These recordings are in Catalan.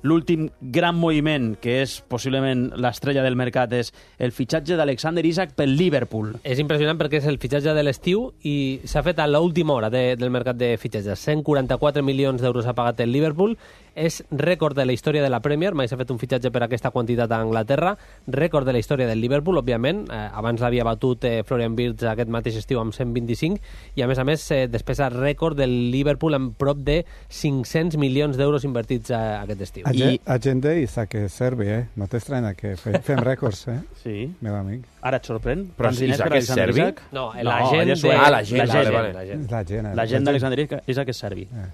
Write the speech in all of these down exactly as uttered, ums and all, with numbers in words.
l'últim gran moviment, que és possiblement l'estrella del mercat, és el fitxatge d'Alexander Isak pel Liverpool. És impressionant perquè és el fitxatge de l'estiu i s'ha fet a l'última hora de, del mercat de fitxatges. cent quaranta-quatre milions d'euros ha pagat el Liverpool. És rècord de la història de la Premier, mai s'ha fet un fitxatge per aquesta quantitat a Anglaterra, rècord de la història del Liverpool, òbviament, eh, abans l'havia batut eh, Florian Wirtz aquest mateix estiu amb cent vint-i-cinc, i a més a més eh, despesa rècord del Liverpool amb prop de cinc-cents milions d'euros invertits a, a aquest estiu. I... Agenda Isak és serbi, eh? No t'estranya que fe, fem rècords, eh? Sí. Meu amic. Ara et sorprèn? Però Isak és serbi? No, l'agent de... Ah, l'agent, l'agent. vale, vale. L'agent. L'agent d'Alexander Isak és serbi. Eh,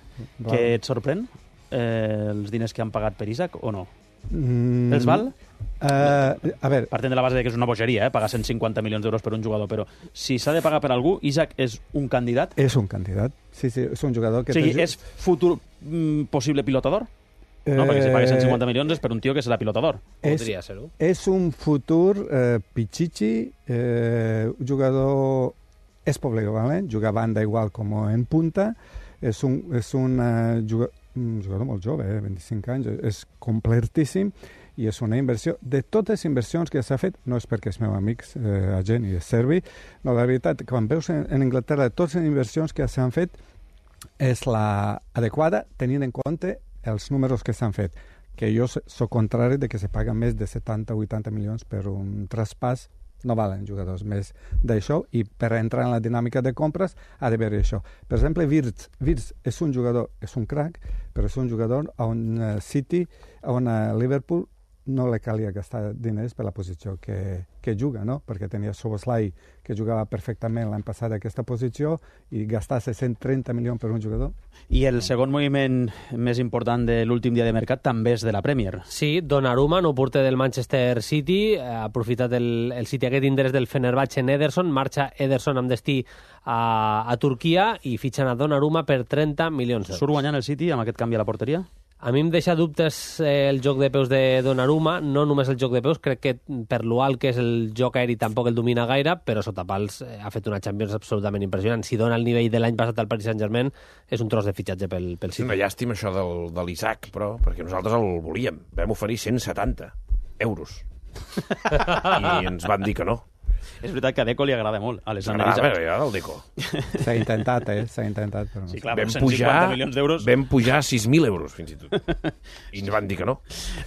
que et sorprèn? Eh, els diners que han pagat per Isak o no? Mm, Els val? Uh, a veure... Partint de la base de que és una bogeria, eh? Pagar cent cinquanta milions d'euros per un jugador, però si s'ha de pagar per algú, Isak és un candidat? És un candidat. Sí, sí, és un jugador que... O sigui, és futur mm, possible pilotador? No, perquè si pagues cent cinquanta milions és per un tio que serà pilotador. És, Podria ser-ho. És un futur eh, pichichi, eh, un jugador... És polivalent, juga a banda igual com en punta, és un, és un, uh, jugador, un jugador molt jove, eh, vint-i-cinc anys, és completíssim i és una inversió. De totes les inversions que s'ha fet, no és perquè és meu amic eh, agent i és serbi, no, la veritat, quan veus en, en Anglaterra totes les inversions que s'han fet és la adequada tenint en compte els números que s'han fet, que jo soc contrari de que se paguen més de setanta o vuitanta milions per un traspàs. No valen jugadors més d'això, i per entrar en la dinàmica de compres ha d'haver això. Per exemple, Wirtz. Wirtz és un jugador, és un crack, però és un jugador on uh, City, on uh, Liverpool no li calia gastar diners per la posició que, que juga, no? Perquè tenia Szoboszlai, que jugava perfectament l'any passat a aquesta posició, i gastar-se cent trenta milions per un jugador. I el segon moviment més important de l'últim dia de mercat també és de la Premier. Sí, Donnarumma, no porter del Manchester City, ha aprofitat el, el City aquest interès del Fenerbahçe en Ederson, marxa Ederson amb destí a, a Turquia i fitxen a Donnarumma per trenta milions d'euros. Surt guanyant el City amb aquest canvi a la porteria? A mi em deixa dubtes eh, el joc de peus de Donnarumma, no només el joc de peus, crec que per lo alt que és el joc aeri tampoc el domina gaire, però sota pals eh, ha fet una Champions absolutament impressionant. Si dona el nivell de l'any passat al Paris Saint-Germain, és un tros de fitxatge pel, pel City. Una llàstima això del, de l'Isaac, però, perquè nosaltres el volíem. Vam oferir cent setanta euros. I ens van dir que no. És veritat que a Deco li agrada molt, a les M'agrada, però ja el Deco. S'ha intentat, eh? S'ha intentat, però no. Sí, clar, Vam cent cinquanta pujar, milions d'euros. vam pujar sis mil euros, fins i tot. I ens van dir que no.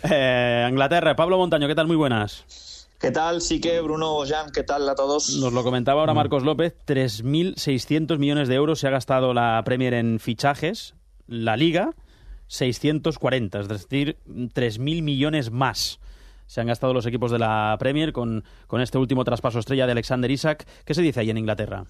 Eh, Anglaterra, Pablo Montaño, ¿qué tal? Muy buenas. ¿Qué tal, Sique, Bruno, Jan? ¿Qué tal a todos? Nos lo comentaba ahora Marcos López, tres mil seiscientos millones de euros se ha gastado la Premier en fichajes, la Liga, seiscientos cuarenta, es decir, tres mil millones más se han gastado los equipos de la Premier con, con este último traspaso estrella de Alexander Isak. ¿Qué se dice ahí en Inglaterra?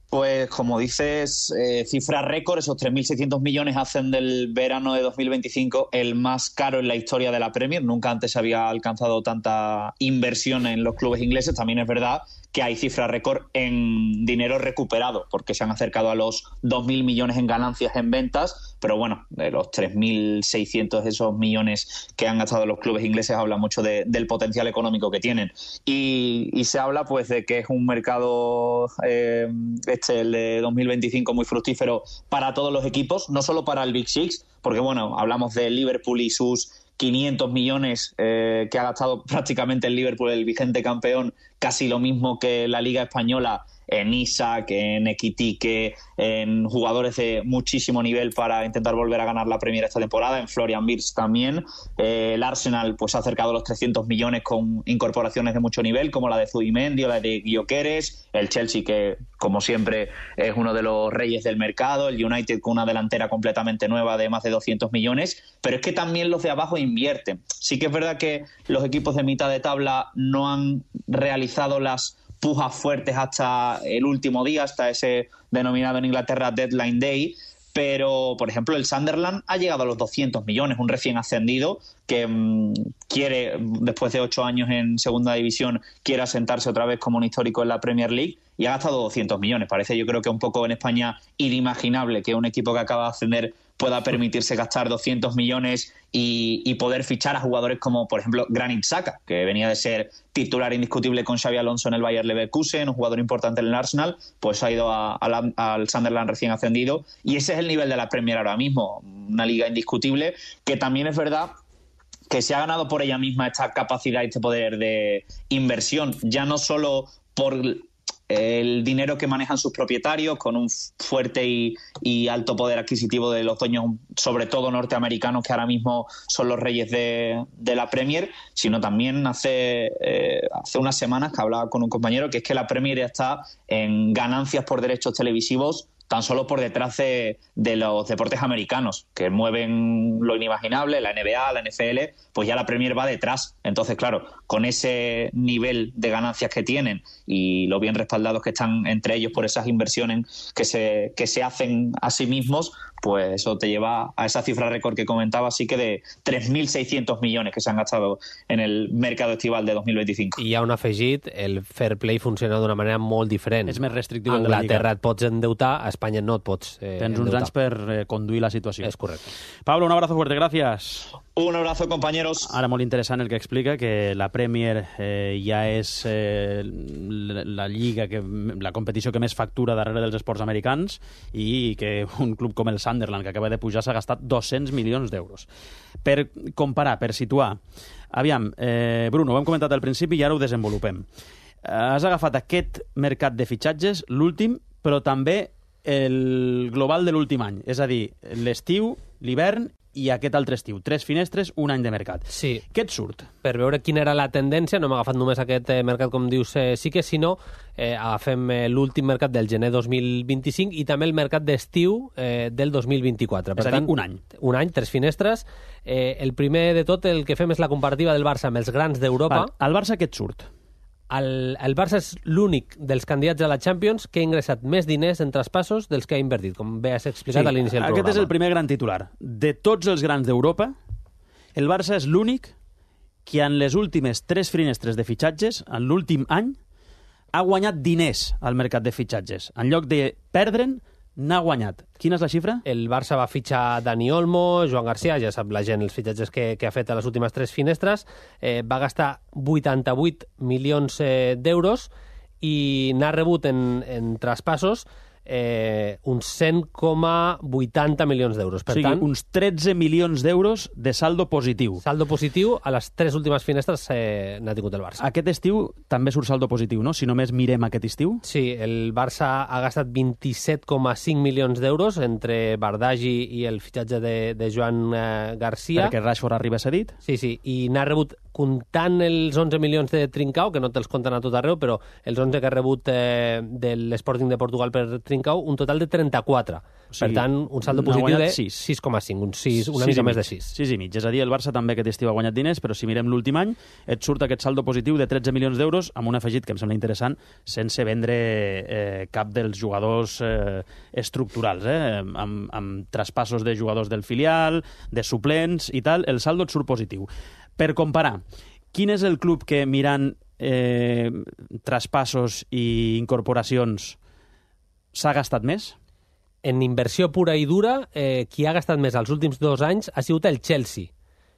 Pues como dices, eh, cifra récord, esos tres mil seiscientos millones hacen del verano de dos mil veinticinco el más caro en la historia de la Premier. Nunca antes se había alcanzado tanta inversión en los clubes ingleses. También es verdad que hay cifra récord en dinero recuperado, porque se han acercado a los dos mil millones en ganancias en ventas, pero bueno, de los tres mil seiscientos esos millones que han gastado los clubes ingleses habla mucho de, del potencial económico que tienen. Y, y se habla pues de que es un mercado, eh, este, el de dos mil veinticinco, muy fructífero para todos los equipos, no solo para el Big Six, porque bueno, hablamos de Liverpool y sus quinientos millones eh, que ha gastado prácticamente el Liverpool, el vigente campeón, casi lo mismo que la Liga Española, en Isak, en Ekitike, en jugadores de muchísimo nivel para intentar volver a ganar la Premier esta temporada, en Florian Wirtz también. Eh, el Arsenal pues ha acercado los trescientos millones con incorporaciones de mucho nivel, como la de Zubimendi o la de Gyökeres. El Chelsea, que como siempre es uno de los reyes del mercado. El United con una delantera completamente nueva de más de doscientos millones. Pero es que también los de abajo invierten. Sí que es verdad que los equipos de mitad de tabla no han realizado las pujas fuertes hasta el último día, hasta ese denominado en Inglaterra Deadline Day, pero, por ejemplo, el Sunderland ha llegado a los doscientos millones, un recién ascendido que mmm, quiere, después de ocho años en segunda división, quiere asentarse otra vez como un histórico en la Premier League y ha gastado doscientos millones. Parece, yo creo que un poco en España inimaginable que un equipo que acaba de ascender pueda permitirse gastar doscientos millones y, y poder fichar a jugadores como, por ejemplo, Granit Xhaka, que venía de ser titular indiscutible con Xabi Alonso en el Bayer Leverkusen, un jugador importante en el Arsenal, pues ha ido a, a la, al Sunderland recién ascendido, y ese es el nivel de la Premier ahora mismo, una liga indiscutible, que también es verdad que se ha ganado por ella misma esta capacidad y este poder de inversión, ya no solo por el dinero que manejan sus propietarios, con un fuerte y, y alto poder adquisitivo de los dueños, sobre todo norteamericanos, que ahora mismo son los reyes de, de la Premier, sino también hace, eh, hace unas semanas que hablaba con un compañero que es que la Premier ya está en ganancias por derechos televisivos tan solo por detrás de, de los deportes americanos, que mueven lo inimaginable, la N B A, la N F L, pues ya la Premier va detrás. Entonces, claro, con ese nivel de ganancias que tienen y lo bien respaldados que están entre ellos por esas inversiones que se, que se hacen a sí mismos, pues eso te lleva a esa cifra récord que comentaba, así que de tres mil seiscientos millones que se han gastado en el mercado estival de dos mil veinticinco. I hi ha un afegit, el fair play funciona d'una manera molt diferent. És més restrictiu. A Anglaterra et pots endeutar, a Espanya no et pots eh, Tens uns endeutar. anys per eh, conduir la situació. És correcte. Pablo, un abrazo fuerte, gracias. Un abrazo, compañeros. Ara molt interessant el que explica, que la Premier eh, ja és eh, la, la lliga, que, la competició que més factura darrere dels esports americans i que un club com el Sunderland, que acaba de pujar, s'ha gastat dos-cents milions d'euros. Per comparar, per situar, aviam, eh, Bruno, ho hem comentat al principi i ara ho desenvolupem. Eh, has agafat aquest mercat de fitxatges, l'últim, però també el global de l'últim any, és a dir, l'estiu, l'hivern i aquest altre estiu. Tres finestres, un any de mercat. Sí. Què et surt? Per veure quina era la tendència, no hem agafat només aquest eh, mercat, com dius, eh, sí que, sinó eh, agafem eh, l'últim mercat del gener dos mil vint-i-cinc i també el mercat d'estiu eh, del dos mil vint-i-quatre. És Per a dir, tant, un any. Un any, tres finestres. Eh, el primer de tot, el que fem és la comparativa del Barça amb els grans d'Europa. Val, el Barça què et surt? El, el Barça és l'únic dels candidats a la Champions que ha ingressat més diners en traspassos dels que ha invertit, com bé has explicat Sí, a l'inici del aquest programa. és el primer gran titular. De tots els grans d'Europa, el Barça és l'únic que en les últimes tres finestres de fitxatges, en l'últim any, ha guanyat diners al mercat de fitxatges. En lloc de perdre'n, n'ha guanyat. Quina és la xifra? El Barça va fitxar Dani Olmo, Joan Garcia, ja sap la gent els fitxatges que, que ha fet a les últimes tres finestres, eh, va gastar vuitanta-vuit milions eh, d'euros i n'ha rebut en, en traspassos eh, uns cent coma vuitanta milions d'euros. Per o sigui, tant, uns tretze milions d'euros de saldo positiu. saldo positiu a les tres últimes finestres eh, n'ha tingut el Barça. Aquest estiu també surt saldo positiu, no? Si només mirem aquest estiu. Sí, el Barça ha gastat vint-i-set coma cinc milions d'euros entre Bardagi i el fitxatge de, de Joan eh, Garcia. Perquè Rashford arriba cedit. Sí, sí, i n'ha rebut, comptant els onze milions de Trincao, que no te'ls compten a tot arreu, però els onze que ha rebut eh, de l'Sporting de Portugal per Trincao, un total de trenta-quatre. O Per sigui, tant, un saldo n'ha positiu guanyat de sis. sis coma cinc, un sis, una sis mica i més mig. de sis. sis i mig. És a dir, el Barça també aquest estiu ha guanyat diners, però si mirem l'últim any, et surt aquest saldo positiu de tretze milions d'euros amb un afegit que em sembla interessant, sense vendre eh, cap dels jugadors eh, estructurals, eh, amb, amb traspassos de jugadors del filial, de suplents i tal, el saldo et surt positiu. Per comparar, quin és el club que mirant eh, traspassos i incorporacions s'ha gastat més? En inversió pura i dura, eh, qui ha gastat més els últims dos anys ha sigut el Chelsea.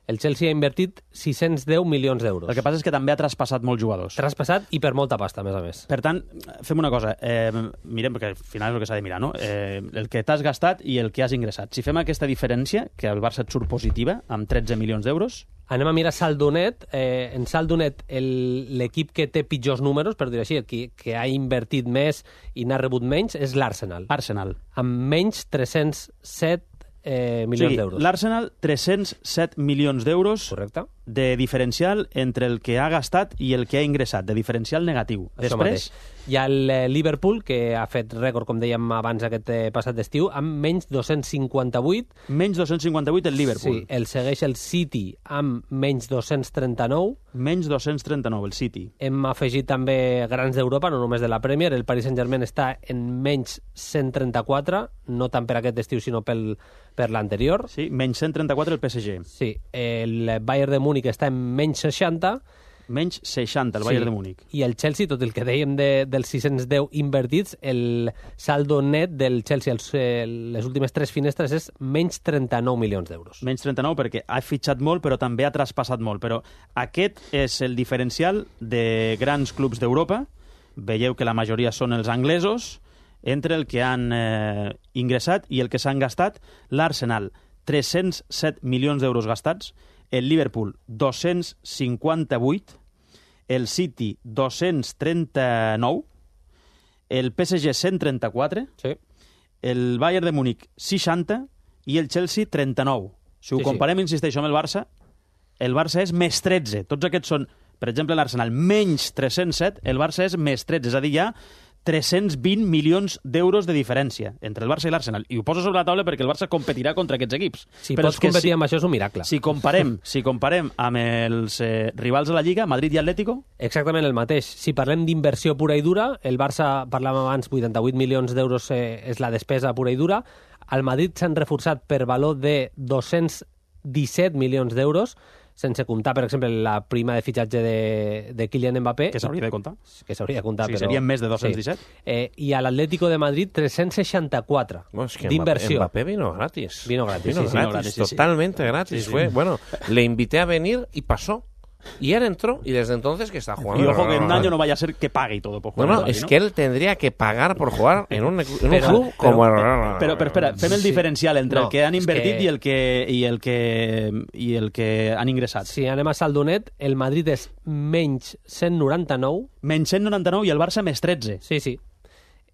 El Chelsea ha invertit sis-cents deu milions d'euros. El que passa és que també ha traspassat molts jugadors. Traspassat i per molta pasta, a més a més. Per tant, fem una cosa, eh, mirem, perquè al final és el que s'ha de mirar, no? Eh, el que t'has gastat i el que has ingressat. Si fem aquesta diferència, que el Barça et surt positiva, amb tretze milions d'euros... Anem a mirar saldo net. Eh, en saldo net, el- l'equip que té pitjors números, per dir així, el que, que ha invertit més i n'ha rebut menys, és l'Arsenal, Arsenal. amb menys tres-cents set eh, O milions sigui, d'euros. l'Arsenal, tres-cents set milions d'euros Correcte? de diferencial entre el que ha gastat i el que ha ingressat, de diferencial negatiu. Això Després, mateix. Hi ha el eh, Liverpool, que ha fet rècord, com dèiem abans, aquest eh, passat d'estiu, amb menys dos-cents cinquanta-vuit. menys dos-cents cinquanta-vuit el Liverpool. Sí, el segueix el City amb menys dos-cents trenta-nou. Menys dos-cents trenta-nou el City. Hem afegit també grans d'Europa, no només de la Premier. El Paris Saint-Germain està en menys cent trenta-quatre, no tant per aquest estiu, sinó pel, per l'anterior. Sí, menys cent trenta-quatre el P S G. Sí, el Bayern de Múnich està en menys seixanta. Menys seixanta el Bayern de Múnich. I el Chelsea, tot el que dèiem de, dels sis-cents deu invertits, el saldo net del Chelsea els, eh, les últimes tres finestres és menys trenta-nou milions d'euros. Menys trenta-nou perquè ha fitxat molt però també ha traspassat molt. Però aquest és el diferencial de grans clubs d'Europa. Veieu que la majoria són els anglesos, entre el que han eh, ingressat i el que s'han gastat. L'Arsenal, tres-cents set milions d'euros gastats, el Liverpool dos-cents cinquanta-vuit, el City dos-cents trenta-nou, el P S G cent trenta-quatre, Sí. el Bayern de Múnich seixanta i el Chelsea trenta-nou. Si ho Sí, sí. comparem, insisteixo, amb el Barça, el Barça és més tretze. Tots aquests són, per exemple, l'Arsenal menys tres-cents set, el Barça és més tretze. És a dir, hi ha tres-cents vint milions d'euros de diferència entre el Barça i l'Arsenal. I ho poso sobre la taula perquè el Barça competirà contra aquests equips. Si Però pots és que competir si, amb això és un miracle. si comparem, si comparem amb els eh, rivals de la Lliga, Madrid i Atlético, Exactament el mateix. Si parlem d'inversió pura i dura, el Barça, parlàvem abans, vuitanta-vuit milions d'euros eh, és la despesa pura i dura. Al Madrid s'han reforçat per valor de dos-cents disset milions d'euros, sense comptar, per exemple, la prima de fitxatge de, de Kylian Mbappé. que s'hauria de comptar. Que s'hauria de comptar, O sigui, però... serien més de dos-cents disset. Sí. Eh, I a l'Atlético de Madrid, tres-cents seixanta-quatre No, es que d'inversió. Mbappé vino gratis. Vino gratis, Vino sí, sí, gratis, vino gratis, sí, sí. totalmente gratis. Sí, sí. Fue, bueno, le invité a venir y pasó. Y él entró y desde entonces que está jugando. Y ojo que en un año no vaya a ser que pague y todo por No, jugar. no, al Madrid, es ¿no? que él tendría que pagar por jugar en un, en un Pero- club pero- como el... Pero, pero espera, fem el Sí. diferencial entre No, el que han és invertit que- i el que i el que i el que han ingressat. Si anem a saldonet, el Madrid és menys cent noranta-nou. Menys cent noranta-nou i el Barça més tretze. Sí, sí.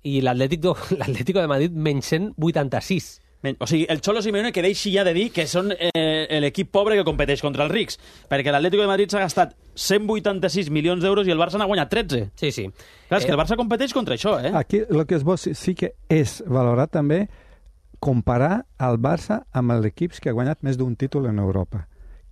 I l'Atlético l'Atlético de Madrid menys cent vuitanta-sis. Men- O sigui, el Cholo Simeone que deixi ja de dir que són eh, l'equip pobre que competeix contra els rics, perquè l'Atlético de Madrid s'ha gastat cent vuitanta-sis milions d'euros i el Barça n'ha guanyat tretze. Sí, sí. Clar, és que el Barça competeix contra això, eh? Aquí el que és bo sí, sí que és valorar també comparar el Barça amb els equips que ha guanyat més d'un títol en Europa.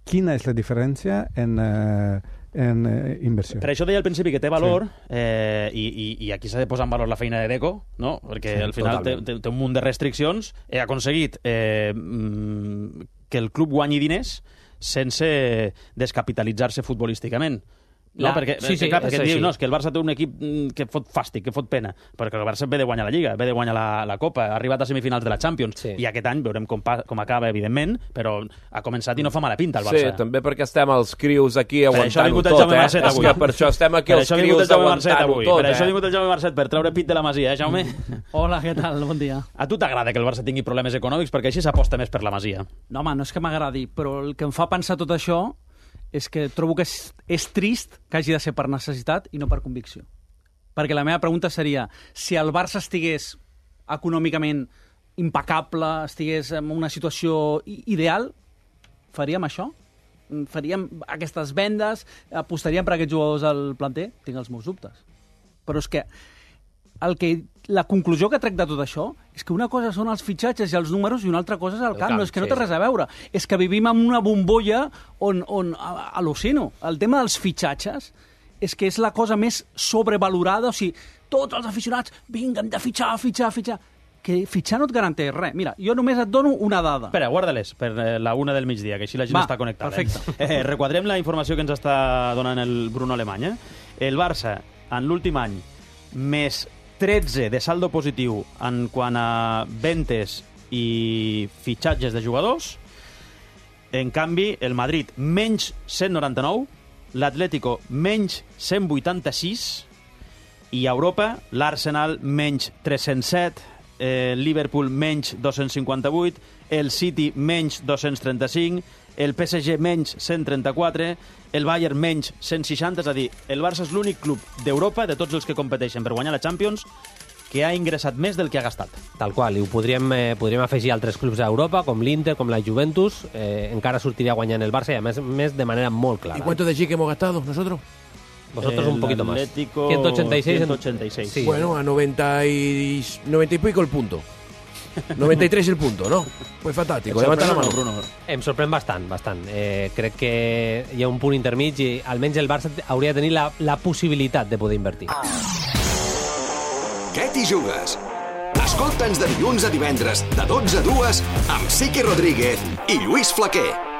Quina és la diferència en, eh, en eh, inversió? Per això deia al principi que té valor, eh, i, i, i aquí s'ha de posar en valor la feina de Deco, no? Perquè Sí, al final té, totalment. té, té un munt de restriccions, he aconseguit eh, mm, que el club guanyi diners sense descapitalitzar-se futbolísticament. No, La- perquè, sí, sí, clar, és perquè així. diu, no, és que el Barça té un equip mm, que fot fàstic, que fot pena, perquè el Barça ve de guanyar la Lliga, ve de guanyar la, la Copa, ha arribat a semifinals de la Champions, Sí. i aquest any veurem com, pa, com acaba, evidentment, però ha començat i no fa mala pinta el Sí, Barça. també perquè estem els crius aquí Per això ha aguantant-ho vingut el tot, Jaume eh? Marcet És avui. que per això estem aquí Per els això ha vingut crius el Jaume Marcet aguantant-ho avui, tot, per això ha eh? vingut el Jaume Marcet, per treure pit de la Masia, eh, Jaume? Hola, què tal? Bon dia. A tu t'agrada que el Barça tingui problemes econòmics perquè així s'aposta més per la Masia. No, home, no és que m'agradi, però el que em fa pensar tot això és que trobo que és, és trist que hagi de ser per necessitat i no per convicció. Perquè la meva pregunta seria, si el Barça estigués econòmicament impecable, estigués en una situació i- ideal, faríem això? Faríem aquestes vendes? Apostaríem per aquests jugadors al planter? Tinc els meus dubtes. Però és que el que la conclusió que trec de tot això és que una cosa són els fitxatges i els números i una altra cosa és el, El camp. camp, No, és que no sí, té sí. res a veure. És que vivim en una bombolla on, on a- al·lucino. El tema dels fitxatges és que és la cosa més sobrevalorada. O sigui, tots els aficionats, vinga, hem de fitxar, fitxar, fitxar. Que fitxar no et garanteix res. Mira, jo només et dono una dada. Espera, guarda-les per eh, la una del migdia, que així la gent Va, està connectada. perfecte. Eh? Eh, requadrem la informació que ens està donant el Bruno Alemany. Eh? El Barça, en l'últim any, més tretze de saldo positiu en quant a ventes i fitxatges de jugadors. En canvi, el Madrid, menys cent noranta-nou, l'Atlético, menys cent vuitanta-sis, i a Europa, l'Arsenal, menys tres-cents set, el Liverpool, menys dos-cents cinquanta-vuit, el City, menys dos-cents trenta-cinc, el P S G, menys cent trenta-quatre, el Bayern, menys cent seixanta, és a dir, el Barça és l'únic club d'Europa, de tots els que competeixen per guanyar la Champions, que ha ingressat més del que ha gastat. Tal qual, i ho podríem, eh, podríem afegir altres clubs d'Europa, com l'Inter, com la Juventus, eh, encara sortiria guanyant el Barça, i a més, més de manera molt clara. ¿Y cuánto de chique hemos gastado nosotros? Vosotros El un poquito más. Atlético, ciento ochenta y seis. ciento ochenta y seis. Sí. Bueno, a noventa y, noventa y pico el punto. noventa y tres el punto, ¿no? Pues fantástico, Et levanta la sorprèn o mano. no, Bruno? Em sorprèn bastant, bastant. Eh, crec que hi ha un punt intermig i almenys el Barça hauria de tenir la, la possibilitat de poder invertir. Què t'hi jugues? Escolta'ns de dilluns a divendres, de dotze a dues, amb Sique Rodríguez i Lluís Flaquer.